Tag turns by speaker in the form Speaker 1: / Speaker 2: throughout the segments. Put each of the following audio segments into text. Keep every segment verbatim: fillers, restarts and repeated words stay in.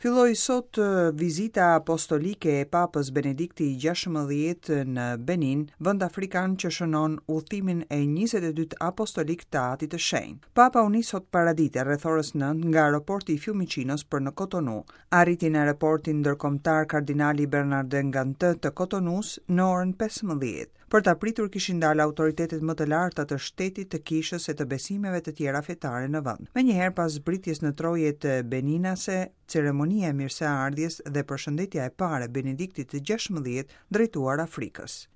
Speaker 1: Filloi sot vizita apostolike e Papës Benedikti i gjashtëmbëdhjetë në Benin, vend afrikan që shënon udhëtimin e njëzet e dytë apostolik të Atit të Shenjtë. Papa u nis sot paradite rreth orës nëntë nga aeroporti i Fiumicinos për në Cotonou. Arriti në aeroportin ndërkombëtar kardinali Bernardin Gantin të Cotonou-s në orën pesëmbëdhjetë. Për ta pritur kishin dalë autoritetet më të larta të shtetit, të kishës e të besimeve të tjera fetare në vend. Menjëherë pas zbritjes në trojet beninase, ceremonia e mirëseardhjes dhe përshëndetja e parë e Benediktit të gjashtëmbëdhjetë drejtuar Afrikës.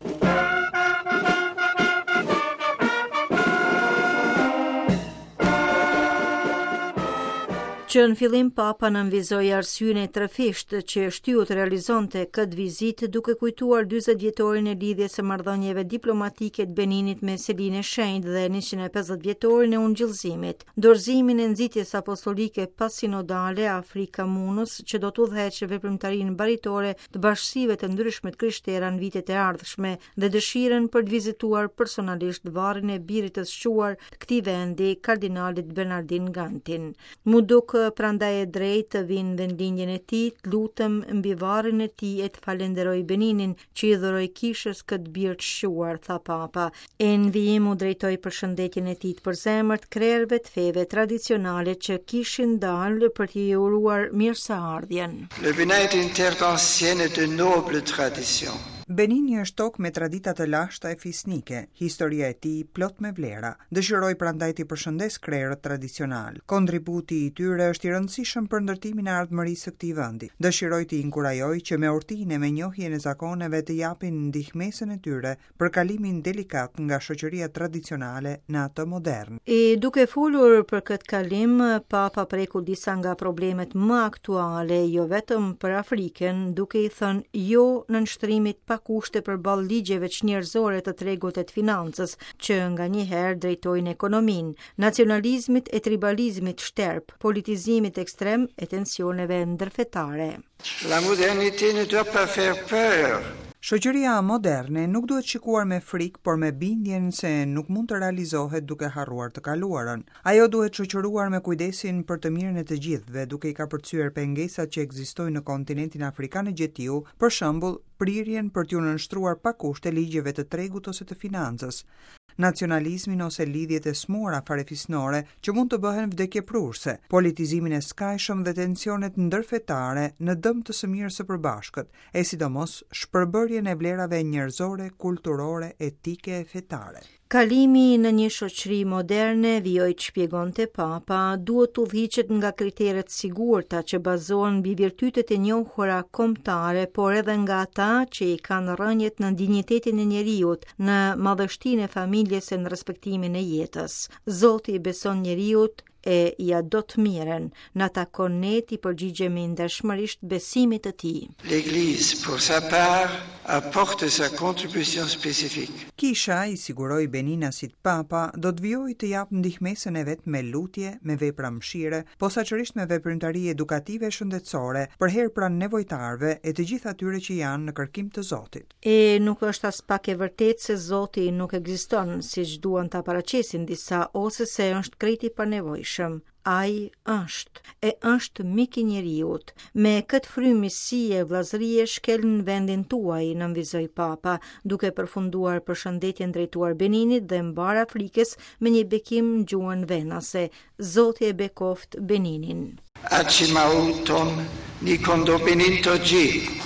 Speaker 2: Që në fillim Papa nënvizoi arsyen e trefishtë që shtyu të realizonte këtë vizitë duke kujtuar dyzet vjetorin e lidhjes së marrëdhënieve diplomatike të Beninit me Selinë e Shenjtë dhe njëqind e pesëdhjetë vjetorin e ungjillzimit, dorëzimin e nxitjes apostolike pasinodale Afrika Munus që do të udhëheqë veprimtarinë baritore të bashkësive të ndryshme të krishtera në vitet e ardhshme dhe dëshirën për të vizituar personalisht varrin e birit të shquar të këtij vendi, kardinalit Bernardin Gantin. Mu duk prandaj e drejtë të vinë në vendlindjen e tij, të lutem mbi varrin e tij e të falenderoj Beninin që i dhuroi kishës këtë bir të shquar, tha Papa. E në vijim u drejtoi përshëndetjen e tij të përzemërt krerëve të feve tradicionale që kishin dalë për t'i uruar mirëseardhjen.
Speaker 3: Le Bénin est une terre d'ancienne et de noble tradition.
Speaker 1: Benini është tokë me tradita të lashta e fisnike, historia e tij plot me vlera. Dëshiroj prandaj t'i përshëndes krerët tradicional. Kontributi i tyre është i rëndësishëm për ndërtimin e ardhmërisë së këtij vendi. Dëshiroj t'i inkurajoj që me urtinë e me njohjen e zakoneve të japin ndihmesën e tyre për kalimin delikat nga shoqëria tradicionale në atë modern.
Speaker 2: E duke folur për këtë kalim, Papa preku disa nga problemet më aktuale, jo vetëm për Afrikën, duke i thënë jo nënshtrimit pa kushte përballë ligjeve çnjerëzore të tregut e të financës, që nganjëherë drejtojnë ekonominë, nacionalizmit e tribalizmit shterp, politizimit ekstrem e tensioneve ndërfetare.
Speaker 3: La modernité ne doit pas faire peur.
Speaker 1: Shoqëria moderne nuk duhet shikuar me frikë, por me bindjen se nuk mund të realizohet duke harruar të kaluarën. Ajo duhet shoqëruar me kujdesin për të mirën e të gjithëve, duke i kapërcyer pengesat që ekzistojnë në kontinentin afrikan e gjetiu, për shembull, prirjen për t'ju nënshtruar pa kushte ligjeve të tregut ose të financës, nacionalizmin ose lidhjet e smuara farefisnore që mund të bëhen vdekjeprurse, politizimin e skajshëm dhe tensionet ndërfetare në dëm të së mirës së përbashkët, e sidomos shpërbërjen e vlerave njerëzore, kulturore, etike e fetare.
Speaker 2: Kalimi në një shoqëri moderne, vijoi të shpjegonte Papa, duhet të udhëhiqet nga kriteret sigurta që bazohen mbi virtytet e njohura kombëtare, por edhe nga ata që i kanë rrënjët në dinjitetin e njeriut, në madhështinë e familjes e në respektimin e jetës. Zoti i beson njeriut e ja do të mirën, na takon ne t'i përgjigjemi ndershmërisht besimit të tij.
Speaker 3: L'Église, pour sa part, apporte sa contribution spécifique.
Speaker 1: Kisha, i siguroi Beninasit Papa, do të vijojë të japë ndihmesën e vet me lutje, me vepra mëshire, posaçërisht me veprimtari edukative e shëndetësore, përherë pranë nevojtarëve e të gjithë atyre që janë në kërkim të Zotit.
Speaker 2: E nuk është as pak e vërtetë se Zoti nuk ekziston, siç duan ta paraqesin disa, ose se është krejt i panevojshëm. Ai është, e është mik i njeriut. Me këtë frymë miqësie e vëllazërie shkel në vendin tuaj, nënvizoi Papa, duke përfunduar përshëndetjen drejtuar Beninit dhe mbar Afrikës me një bekim në gjuhën venase. Zoti e bekoft Beninin.
Speaker 3: Achimau ton ni kondo Benin to gji.